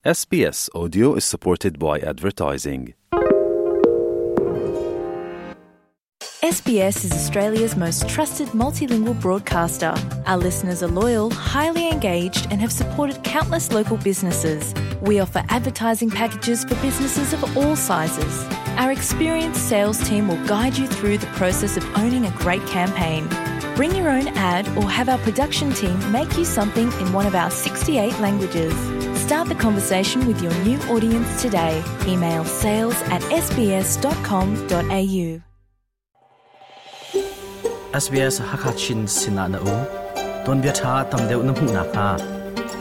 SBS Audio is supported by advertising. SBS is Australia's most trusted multilingual broadcaster. Our listeners are loyal, highly engaged, and have supported countless local businesses. We offer advertising packages for businesses of all sizes. Our experienced sales team will guide you through the process of owning a great campaign. Bring your own ad or have our production team make you something in one of our 68 languages. Start the conversation with your new audience today. Email sales at sbs.com.au. SBS Hakachin Sinah na um ton bia tha tam deuh na hmuh nak hnga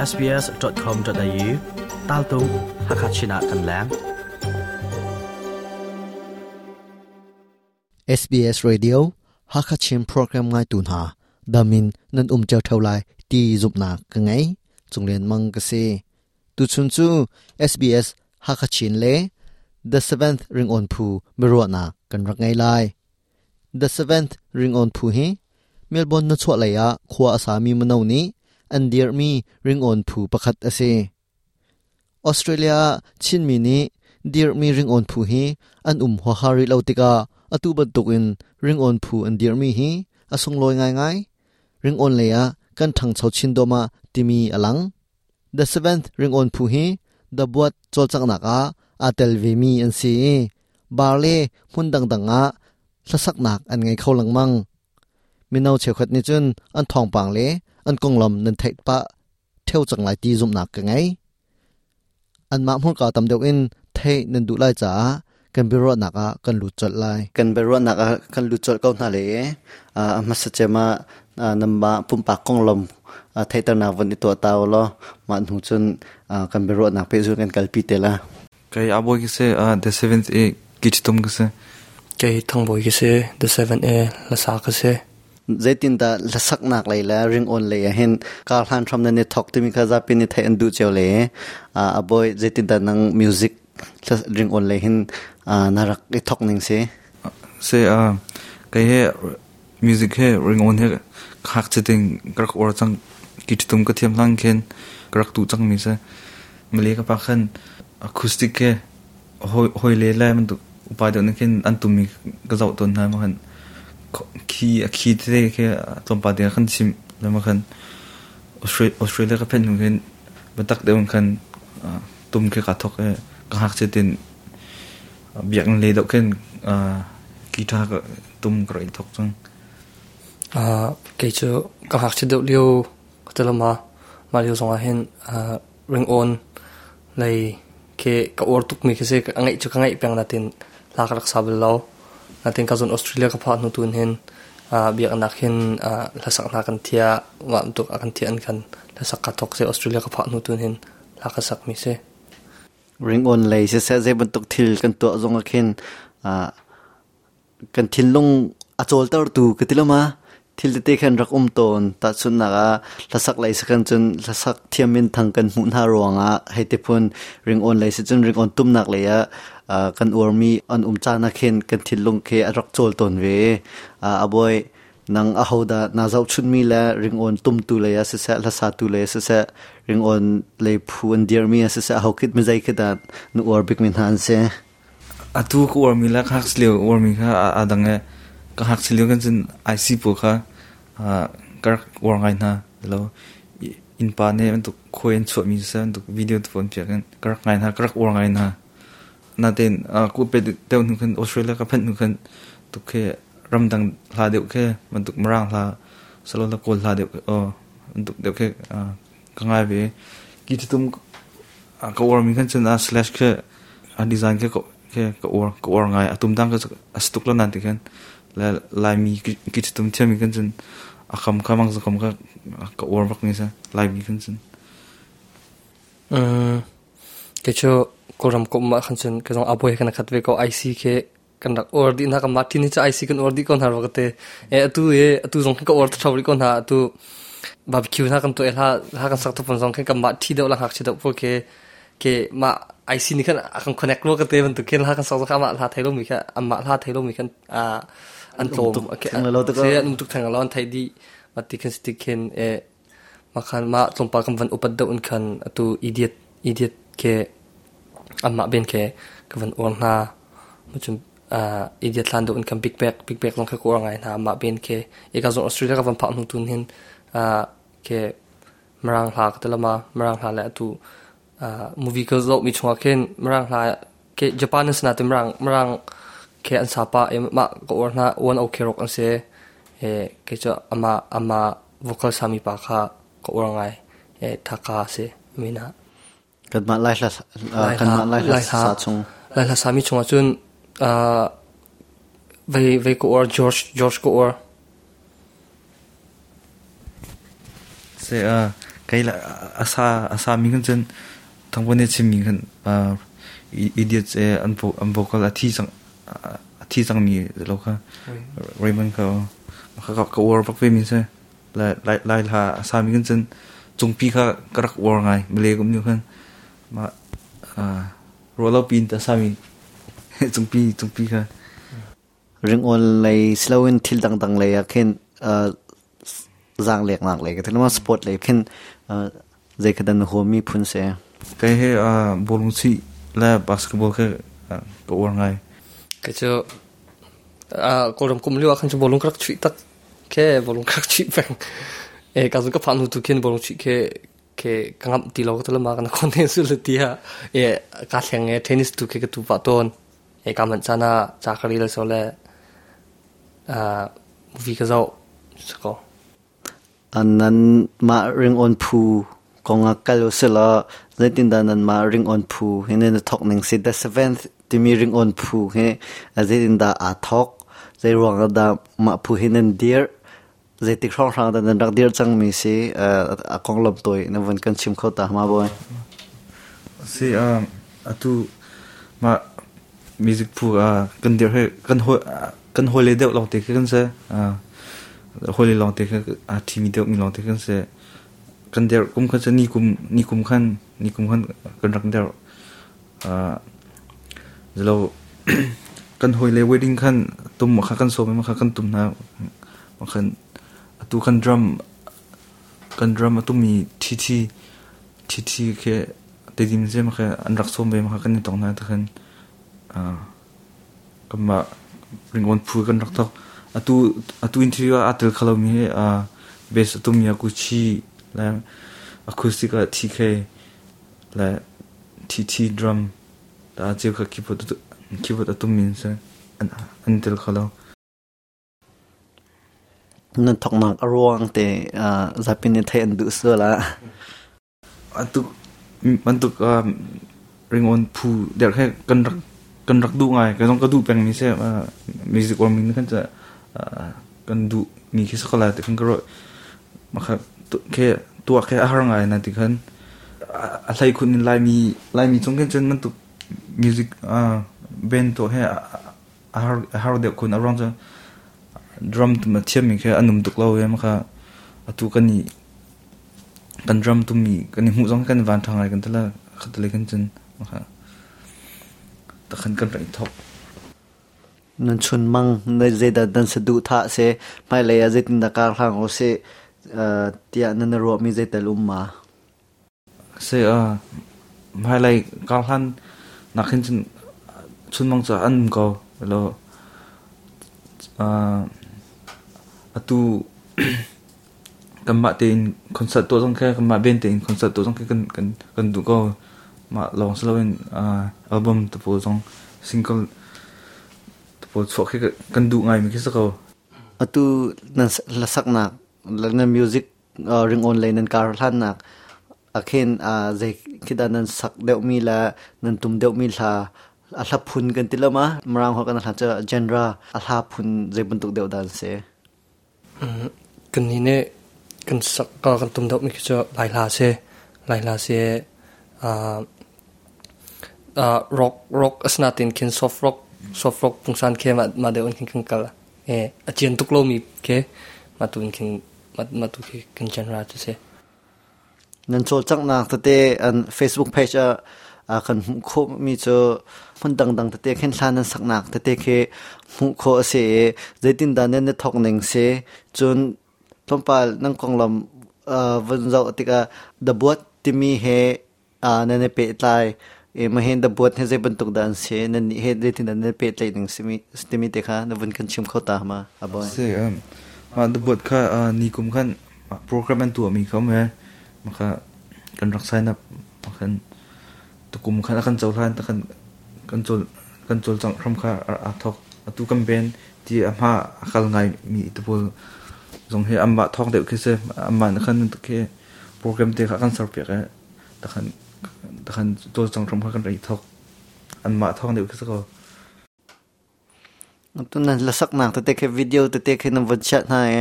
sbs.com.au tal tung Hakachin ah kan leng. SBS Radio Hakha Chin program ngaitu hna damin nan um cio theo lai ti zumhnak ka ngei. Cunglian Mang ka si. Tuchun cu SBS Hakha Chin le The Seventh Ringon Phu biaruahnak kan rak ngei lai. The Seventh Ringon Phu hi Melbourne na chuah lei ah khua a sami mino nih an dirhmi ringon phu pakhat a si. Australia ah Chinmi nih dirhmi ringawn phu hi an um huaha rih lo tikah atu bantukin ringawn phu an dirhmi hi a sunglawi ngaingai. Ringawn lei ah kan ṭhangcho chin dawhmah timi a lang. The Seventh Ringawn phu hi The Buat cawlcanghnak ah aa tel vemi an si i bar le hmun dangdang ah hlasaknak an ngei kho lengmang. Mino cheukhat nih cun an thawngpang le an konglam nan theih pah ṭheo cang lai ti zumhnak ka ngei. Anmah hmurka tam deuh in theih nan duh lai caah kan biaruahnak ah kan lut colh lai. Kan biaruahnak ah kan lut colh ko hna le a hmasa cem ah nanmah pumpak konglam theihternak von i tuah ta u law mah hnu cun kan biaruahnak pehzul kan kalpi te la. Kei Aboy ka si, The Seventh A Kichitum ka si. Kei Thangbawi ka si, The Seventh A Lasa ka si. Zeitindah hlasaknak lei le ringawn lei ah hin kar hlan hram nan i thawk timi kha zapi nih theih an duh cio le Aboy zeitindah nang music ringawn lei hin na rak i thawk ning si? Si kei he music he ringawn he khak chiting ka rak uar cang kichitum ka thiam hlang khin ka rak tuh cangmi si. Male ka pa khan acoustic he hoi le le bantuk upa deuh nih khin an tummi ka zoh tawn hna ma khan khi a khi tete khi tlawmpal te khan chim le ma khan Australia ka phen hnu khin biatak deuh in khan tum khi ka thok i ka ngakchia tin biakinn lei deuh khin guitar ka tum ka rak i thok cang. Kei cu ka ngakchia deuh lio ka ti lama mah lio zongah hin ringawn lei khi ka uar tukmi khi si. A ngeih cu ka ngeih peng natin hla ka rak sa bal lo. Natin ka zon Australia ka phah hnu tun hin biaknak hin hlasak hna kan thiah mah bantuk a kan thiah an kan hlasak ka thok si Australia ka phah hnu tun hin hla ka sak mi si. Ringawn lei siseh zei bantuk thil kan tuah zong ah khin kan thinlung a cawltertu ka ti lo ma thil tete khan rak um tawn tahchunhnak ah hlasak lei sakhan cun hlasak thiam min thang kan hmuh hna ruangah hei ti phun ringawn lei si cun ringawn tumnak lei ah kan uarmi an um caan ah khin kan thinlung khi a rak cawl tawn ve aboi nang ahodah na zohchunmi le ringawn tumtu lei ah siseh hlasatu lei ah siseh ringawn lei phu an dirmi ah siseh ho khit mizei khi dah na uar bikmi hna an si Atu ka uarmi le ka ngakchia lio uarmi kha aa dang i ka ngakchia lio khan cun IC pawl kha ka rak uar ngai hna. Lo innpa nih bantuk khuai an chuahmi siseh bantuk video te pawl an piak in ka rak ngai hna, ka rak uar ngai hna. Natein ku pe deuh hnu khan Australia ka phanh hnu khan tuk khi ramdang hla deuh khi bantuk Mirang hla salo la Kawl hla deuh bantuk deuh khi ka ngai ve. Ki tum ka uarmi khan cun slash khi a design khi ka uar ka uar ngai. A tum dang ka a si tuk lo nan ti khan le Laimi ki tum thiammi khan cun a kam kha mang kam kha ka uar bak mi sa Laimi khan cun. Kei cu Kawlram ka um ah khan cun ka zong aboi kan khat ve ko IC khi kan rak uar dih hna kan mah ṭin hi cu IC kan uar dih ko hna rua ka ti. E atu e atu zong khin ka uar ṭheo rih ko hna atu barbecue hna kan tuah i hla hla kan sak tu zong khin kan mah ṭhi deuh la ngakchia deuh pawl khi ke mah IC nih khan a kan connect rua ka ti bantuk khin hla kan sak zong kha amah hla thei lomi kha amah hla thei lomi khan an tlawm se an um tuk theng lo an theih dih ma ti khin si khin e ma khan ma tlawmpal kan van upat deuh in khan atu idiot idiot Ke anmah ben ke ka van uar hna. Cun Idiot hlan deuh in kan Big Bag, Big Bag zong kha ka uar ngai hna amah ben ke. Ika zong Australia ka van phak hnu tun hin ke Mirang hla ka ti lama Mirang hla le atu movie ka zoh mi chungah khin Mirang hla ke Japan an si nain Mirang Mirang ke an sa pah i mah ka uar hna One Ok Rock an si. E kei cu amah amah vocal sami pa kha ka uar ngai. E Thaka si min ah. Kanmah Lai hla kanmah Lai hla sa chung. Lai hla sami chungah cun vei vei ka uar George George ka uar. Se kei la asa asa mi kan cun thangpon ne chim mi kan idiots e an an vocal a thi cang a thi cang mi lo kha Raymond ka ka ka uar bak ve mi se lai lai hla a sa mi kan cun cungpi kha ka rak uar ngai male kum ni khan ma rualo pin ta sa mi cungpi cungpi kha ringawn lei siloin thil dangdang lei ah khin zaang leknak lei ka thil sport lei khin zei kha dan huam mi phun se kai he bowling si le basketball kha ka uar ngai ke chu kawlram kum liu ah khan chu bowling ka rak chuih tak ke bowling ka rak chuih peng e ka zu ka phan hu tu khin bowling chuih ke ke ka ngam ti lo ka lama kan kon ne su le tia e ka thleng e tennis tu ke ka tu pa ton e ka man chana cha kari le so le movie ka zau ko nan ma ring on phu konga kal usila zeitin da nan ma ring on phu he ne thok ning si the seventh timi ring on phu he zeitin da a thok zei ruang da ma phu hi nan dir zeitik hrong hrang da nan rak dir cang mi si a kong lom toi na van kan chim kho ta ma boy si atu ma music phu kan dir he kan ho kan hole deuh long te kan se hole long te kha a thimi deuh mi long te kan se kan der kum khan ni kum ni kum khan ni kum khan kan rak der zalo kan hoi le wedding khan tum kha kan so ma kha kan tum na khan atu kan drum kan drum atu mi thi thi thi thi ke te dim se ma kha an rak som ve ma kha kan ni tong na ta khan kan ma ringon phu kan rak thok atu atu interview a tel khalo mi a bass atu mi aku chi la acoustic a TK la TT drum ta cheu kha keyboard keyboard atu min se an tel khalo nan thoknak aruang te zapin ni thai an du so la atu bantuk ringon phu der khe kan rak kan rak du ngai ka zong ka du peng mi se music or min kan cha kan du mi khi sakala te kan kro ma kha ke tua ke har ngai na ti khan a hlai khun in lai mi lai mi chung kan chen man tu music band to he har har de khun arong cha drum tu ma thiam mi khe anum tuk lo ye ma kha atu kan ni kan drum tu mi kan ni mu zong kan van thangai kan tala khatale kan chen ma kha ta khan kan rai thok nan chun mang na zeida dan se du tha se mai le ya zeitin da kar hlang o se tia nan ro mi zeital um ma se a mai lai kar hlan na khin chun chun mang cha an ko lo atu kanmah tein concert tuah zong kha kanmah band tein concert tuah zong kha kan kan kan duh ko mah lawng si loin album te pawl zong single te pawl chuah khi kan duh ngai mi khi si ko. Atu nan hlasaknak nan music ringawn lei nan kar hlannak akhin zei khi dah nan sak deuh mi le nan tum deuh mi hla a hla phun kan ti lo ma Mirang holh kan hla cu genre a hla phun zei bantuk deuh dah an si? Kan nih nih kan sak kan tum deuh mi khi cu Lai hla si. Lai hla si rock rock asinain khin soft rock soft rock pungsan khi mah mah deuh in khin kan kal. A cian tuk lomi khi mah tu in khin mah tu khi kan genre cu si. Nan cawlcanghnak tete an Facebook page ah kan hmuh khawhmi cu hmun dangdang tete khin hla nan saknak tete khi hmuh khawh a si i zeitindah nan i thawk ning si cun tlawmpal nan konglam van zoh tikah The Buat timi he Nan i pehtlai e ma hen da buat he zei bantuk dah an si nan nih he zeitin dah nan pehtlaih ning simi timi te kha na vun kan chim kho ta ma aboy? Si ma da buat kha ni kum khan program an tuah mi kha me ma kha kan rak sign up ma khan tukum khan akan cohlan ta kan kan col kan col cang hram kha a thok atu kan ben ti a hma akal ngai mi te pawl zong he amma thong deuh khi se amma na khan khi program te kha kan ser piak e takhan takhan col cang hram kha kan rei thok anmah thong deuh khi se ko. Tu nan lasak nak tete khi video tete khi nan von chiah hna i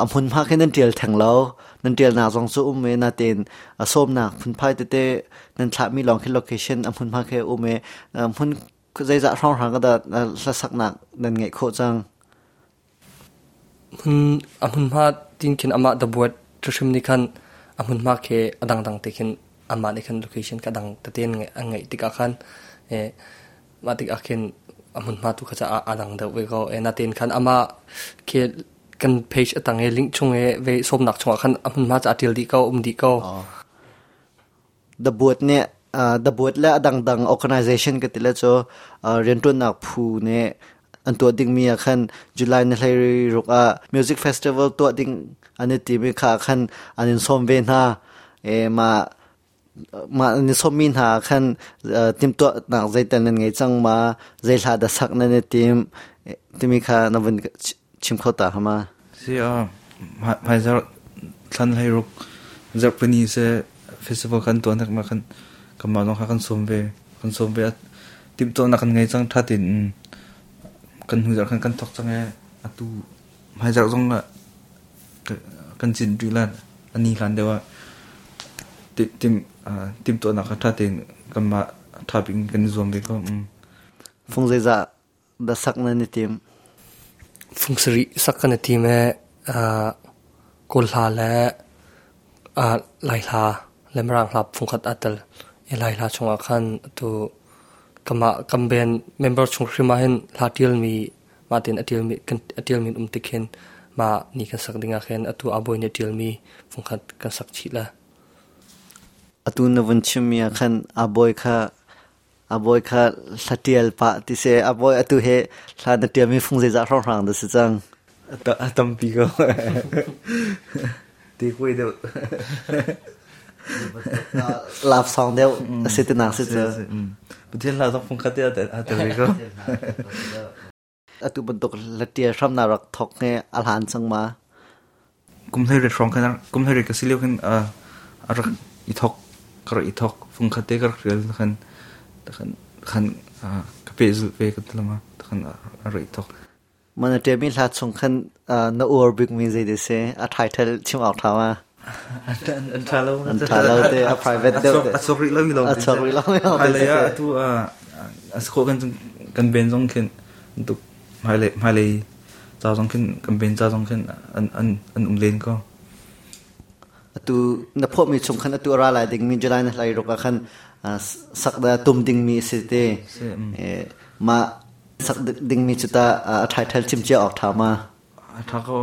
a hmun hma khi nan tial theng lo, nan tial nak zong cu um i natin a sawmnak phunphai tete nan thlahmi lawng khi location a hmun hma khi um i hmun zeizah hrawnghrang ka dah hlasak nak nan ngeih khawh cang? Hmun a hmunhma tin khin amah da buat hrim nih khan a hmunhma khi a dangdang te khin amah nih khan location kha dang tete an ngeih tikah khan mah tikah khin a hmunhma tu kha ca a dang deuh ve ko. Natein khan amah khi kan page a tang i link chung i ve sawmnak chungah khan a hmunhma ca a ṭial dih ko, um dih ko. The Board nih The Board le a dangdang organization ka ti le cu rianṭuannak phu nih an tuah dingmi ah khan July ni 16 ah music festival tuah ding an i timi kha khan an in sawm ve hna. E, mah mah an i sawmmi hna khan timhtuahnak zeital nan ngei cang ma, zei hla dah sak nan i tim timi kha na vun chim kho ta hama? Si a hmaizarh thlan 16 zarhpini se festival kan tuah nak ma kan kanmah zong kha kan sawm ve, kan sawm ve. Timhtuahnak kan ngei cang tha tein kan hnu zarh khan kan thawk cang e atu hmaizarh zong ah kan cin rih lan ani hlan deuh ah tim timhtuahnak kha tha tein kanmah tha bik in kan i zuam ve ko. Fung zeizah dah sak nan i tim? Fung sarih sak kan i tim i Kawl hla le Lai hla le Mirang hla fungkhat aa tel. I Lai hla chungah khan atu kamah kan band member chung hrim ah hin hla ṭialmi mah tein a ṭialmi kan a ṭialmi an um tik hin mah ni kan sak ding ah khin atu Aa Bawi nih a ṭialmi fungkhat kan sak chih le. Atu na vun chimmi ah khan Aa Bawi kha A bawi kha hla ṭial pah ti si. A bawi atu he hla na ṭialmi fung zeizah hrawnghrang dah si cang? A tampi ko. Ti kuai deuh. Love song deuh a si tinak si cu. Pathian hla zong fung khat te a tel ve ko. Atu bantuk hla ṭial hram na rak thawk he a hlan cang ma? Kum 18 hrawng khan kum 18 ka si lio khan a rak i thawk, ka rak i thawk, fung khat te ka rak rial khan khan khan ka pehzulh ve ka ti lama khan a rak i thawk. Man a ṭialmi hla chung khan na uar bikmi zei dah si? A title chim awk ṭha ma? An ṭha lo. An ṭha lo te, a private deuh te. A chuak rih lo mi lawng. A chuak rih lo mi lawng. Hmailei ah atu a si khawh kan kan ben zong khin tuk hmailei hmailei ca zong khin kan ben ca zong khin an an an um len ko. Atu na phuahmi chung khan atu a ra lai dingmi July na hlai ruk ah khan sak da tum dingmi a si te. Mah sak dingmi cu ta a title chim cia awk ṭha ma? Tha ko,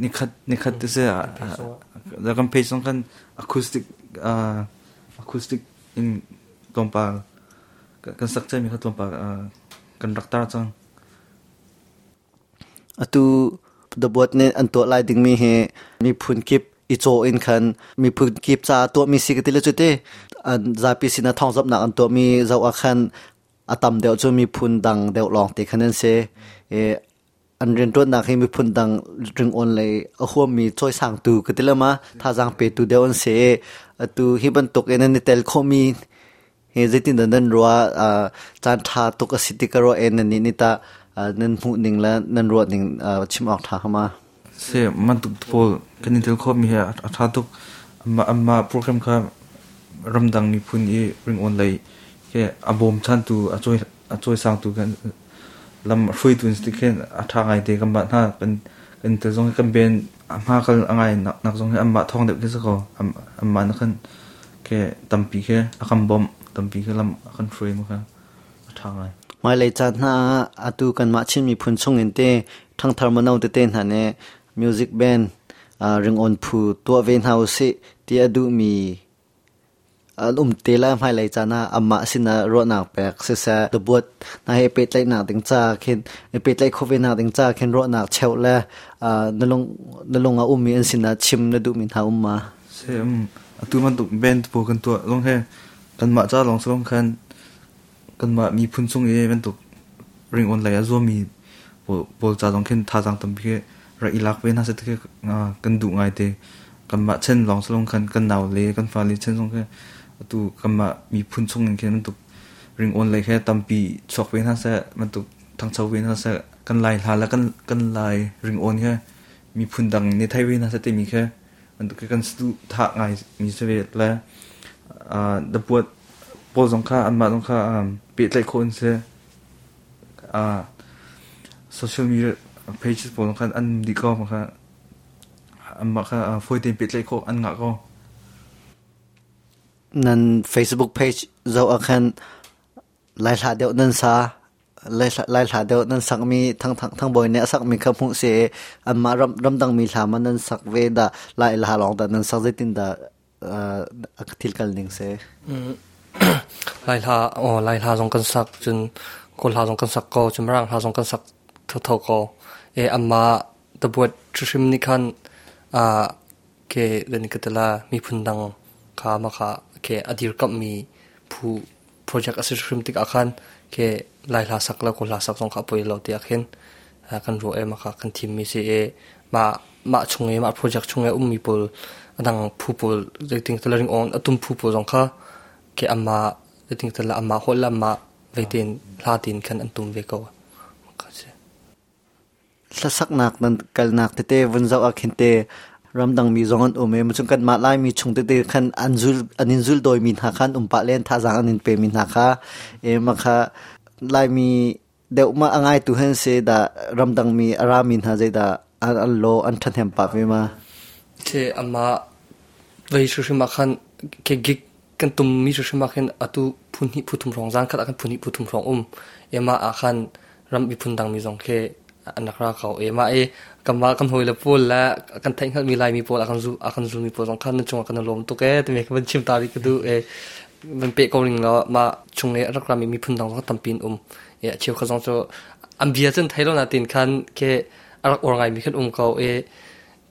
nikhat nikhat te se kan page zong kan acoustic acoustic in tlawmpal kan sak cemi kha tlawmpal kan rak tar cang. Atu The Boat nih an tuah lai dingmi hi miphun kip i caw in khan miphun kip ca tuahmi si ka ti le cu ti an zapi sinah thawngzamhnak an tuahmi zoh ah khan a tam deuh cu miphun dang deuh lawng te khan an si. I an rianṭuannak hi miphun dang ringawn lei a huammi cawisangtu ka ti lama thazaang petu deuh an si i atu hi bantuk in an i tel khawhmi hi zeitindah nan ruah? Caan ṭha tuk a si ti ka ruah e nan nih nih tah nan hmuh ning le nan ruah ning chim awk ṭha ma? Si bantuk pawl kan i tel khawhmi hi a ṭha tuk. Amma program kha ramdang miphun i ringawn lei he a bawmchantu a a cawisangtu kan lam hruaitu in khin a ṭha ngai te kan mah hna kan kan tel zong kan ben a hma kal a ngai nak zong hi anmah thawng deuh khi si ko. Anmah na khan ke tampi khi a kan bawmh, tampi khi lam a kan hruai mu kha a ṭha ngai. Hmailei caan hna ah atu kanmah Chin miphun chung in te ṭhangthar mano tete hna nih music band ringawn phu tuah ve hna usih ti a duhmi An um te lai hmailei caan ah amah sinah ruahnak pek siseh, cabuat hna he pehtlaihnak ding ca khin pehtlaih khawh ve nak ding ca khin ruahnak cheuh le na lung na lung ah ummi an sinah chim na duhmi hna um ma? Se atu bantuk band pawl kan tuah zong he kanmah ca lawng si lo khan kanmah miphun chung i bantuk ringawn lei a zuammi pawl ca zong khin thazaang tampi khi rak i lak ve hna seh ti khi kan duh ngai te. Kanmah chen lawng si lo khan kan nau le kan fale chen zong khi atu kanmah miphun chung in khin bantuk ringawn lei khi tampi chuak ve hna seh, bantuk thangcho ve hna seh, kan Lai hla le kan Lai ringawn khi miphun dang nih thei ve hna seh timi khi bantuk khi kan saduhthah ngai mi si ve le dapuat pawl zong kha anmah zong kha pehtlaih khawh an si. Social media pages pawl zong khan an dih ko kha anmah kha fawi tein pehtlaih khawh an ngah ko. Nan Facebook page zoh ah khan Lai hla deuh nan sa Lai hla deuh nan sakmi Thang Thang Bawi nih a sakmi kha hmuh si i anmah ramdangmi hla ma nan sak ve dah Lai hla lawng dah nan sak zeitin dah a thil kal ning si? Lai hla aw Lai hla zong kan sak cun Kawl hla zong kan sak ko cun Mirang hla zong kan sak thotho ko. E amma tabuat hrim nih khan ke len ka tala miphun dang kha ma kha ke a dirkamhmi phu project a si hrim tikah khan ke Lai hla sak le Kawl hla sak zong kha a poi lo tiah khin kan ruah i mah kan thimmi si i mah mah chung i mah project chung i ummi pawl a dang phu pawl zeiting tala ringawn a tum phu pawl zong kha ke amah zeiting tala amah holh le amah veitein hla tin khan an tum ve ko. Hlasaknak nan kalnak tete vun zoh ah khin te ramdang mi zong an um i macun kanmah Laimi chung tete khan an zul an in zul dawimi hna khan um pah len thazaang an in pemi hna kha e ma kha Laimi deuh ma a ngaitu hen si dah ramdang mi a rami hna zeidah an lo an ṭhahnem pah ve ma? Che ama vei hrim ah khan ke gig kan tum mi hrim ah khin atu phun hnih phu thum hrawng zan khat ah khan phun hnih phu thum hrawng um ema ah khan ram miphun dang mi zong khi an rak ra ko ema e kanmah kan hawi le pawl le kan theih hngalhmi Laimi pawl a kan zulmi pawl zong khan nan cungah kan i lawm tuk e timi ka van chim ta rih ka duh e van peh ko ning law mah chung i a rak rami miphun dang zong tampi an um e a cheu kha zong cu an bia cun thei lo na tin khan ke a rak uar ngaimi khan um ko e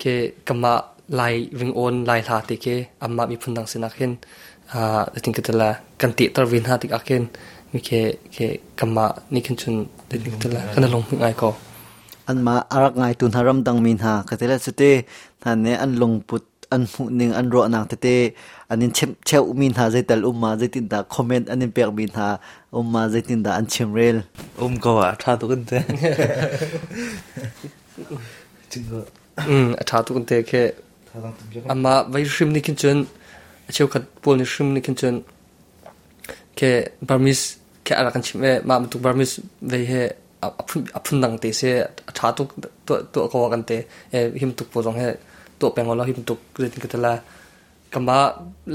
ke kanmah Lai ringawn Lai hla te ke anmah miphun dang sinah khin tin ka tala kan tehter ve hna tikah khin mi ke ke kanmah nih khin cun tin ka tala kan lung ngai ko. Anmah a rak ngaitu hna ramdang mi hna ka tila cute hna nih an lungput an hmuhning an ruahnak tete an in chimh cheuhmi hna zeital um ma zeitindah comment an in pekmi hna um ma zeitindah an chimrel? Um ko ah ṭha tuk in te. A ṭha tuk in te khi. Amah vei hrim nih khin cun a cheukhat pawl nih hrim nih khin cun ke Burmese ke a rak kan chimh i mah bantuk Burmese vei he a phundang te si a ṭha tuk tuah ko kan te him tuk pawl zong he tuah peng law him tuk zeitin ka ti la kanmah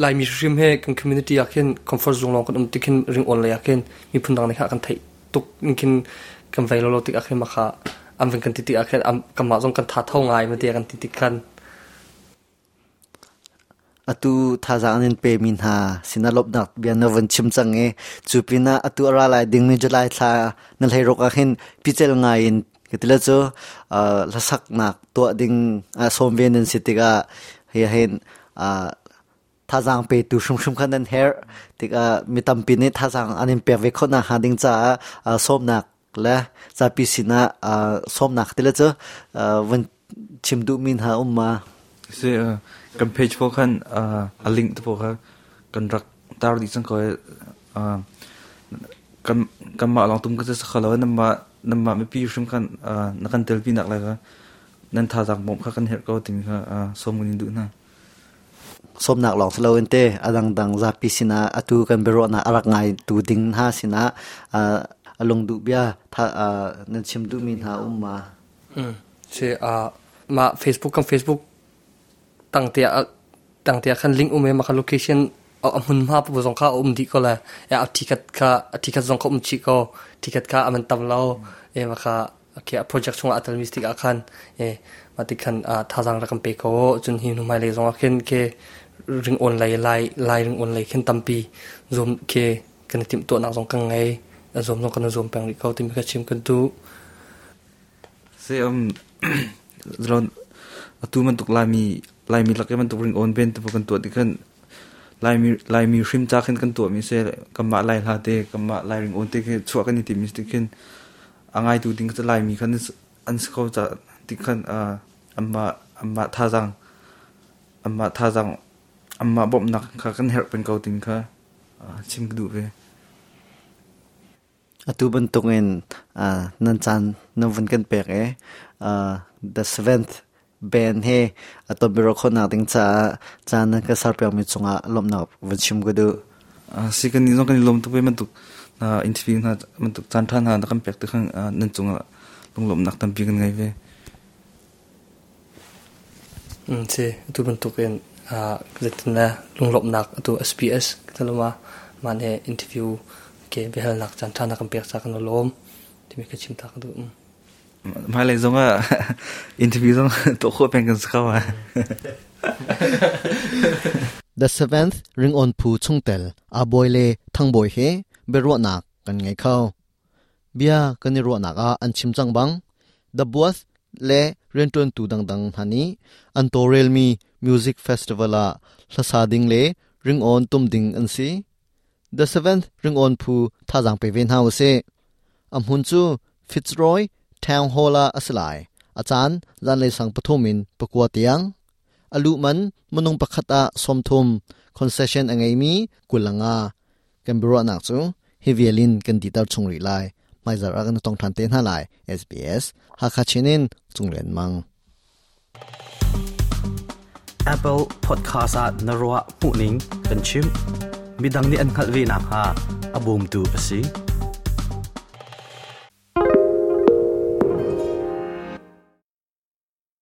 Laimi hrim he kan community ah khin comfort zone lawng kan um tik khin ringawn lei ah khin miphun dang nih kha kan theih tuk in khin kan vei lo tik ah khin mah kha an van kan ti tik ah khin kanmah zong kan tha tho ngai ma ti kan ti tik khan. Atu thazaang an in pemi hna sinah lawmhnak bia na vun chim cang i cu pinah atu a ra lai dingmi July thla na hleiruk ah hin pical ngai in ka ti le cu hlasaknak tuah ding sawm ve nan si tikah hi hin thazaang petu hrimhrim kha nan herh tikah mi tampi nih thazaang an in pek ve khawh nakhnga ding caah sawmnak le zapi sinah sawmnak ti le cu vun chim duhmi hna um ma? Si kan page pawl khan a link te pawl kha kan rak tar dih cang ko i kan kanmah lawng tum ka si kho lo nanmah nanmah mipi hrim khan na kan telpi nak lai kha nan thazaang bawmh kha kan herh ko timi kha sawm kan in duh hna. Sawmnak lawng si loin te a dangdang zapi sinah atu kan biaruahnak a rak ngai tu ding hna sinah a lungduh bia nan chim duhmi hna um ma? Si mah Facebook kan Facebook tangte ah tangte ah khan link um i mah kha location a hmunhma pawl zong kha a um dih ko lai. A ticket kha a ticket zong kha um chih ko. Ticket kha a man tam lo. E mah kha okay, a project chungah a telmi si tikah khan e mah ti khan thazaang rak kan pe ko. Cun hi hnu hmailei zong ah khin ke ring on lei lai lai ring on lei khin tampi zum ke kan tim to nak zong kan ngei a zum zong kan zum peng ri ko timi kha chim kan tu. Se zalon atu man tuk lai mi lai mi lak man tuk ring on ben tu kan tu ti kan lai mi lai mi hrim cha khin kan tu mi se kama lai hla te kama lai ring on te ke chua kan ti mi ti khin angai tu ding lai mi khan an ko cha ti khan amma amma tha jang amma tha jang amma bom nak kha kan herp pen ko ting kha chim du ve. Atu bantukin nan chan nan vun kan pek e the seventh band he ato biro khona ding cha chan nan ka sar pek mi chunga lomna vun chim ko du. Si kan ni zong kan lom tu pe man tuk na interview na man tuk chan than ha na kan pek te khang nan chunga lunglom nak tam pi kan ngai ve. Se atu bantukin zetin la lunglom nak atu SBS taloma mane interview ke behal nak chan than na kan pek cha kan lom timi ka chim ta ka du. Mai le zong a interview zong to kho pen kan skawa. The seventh ring on phu chungtel a boy le thang boy he berwa nak kan ngai khau bia kan ni ro nak a an chim chang bang the both le renton tu dang dang hani an to rel mi music festival a hlasa ding le ring on tum ding an si. The seventh ring on phu tha jang pe ven hau se am hun chu Fitzroy Town Hall a aslai achan zan le sang pathumin pakwa tiang alu man manung pakhata somthum concession angai mi kulanga kan biro nak chu hevialin kan ditar chungri lai mai zar agan tong than te na lai SBS Hakha chinin chunglen mang. Apple Podcast at narwa puning kan chim midang ni an khalvi na ha abum tu asi.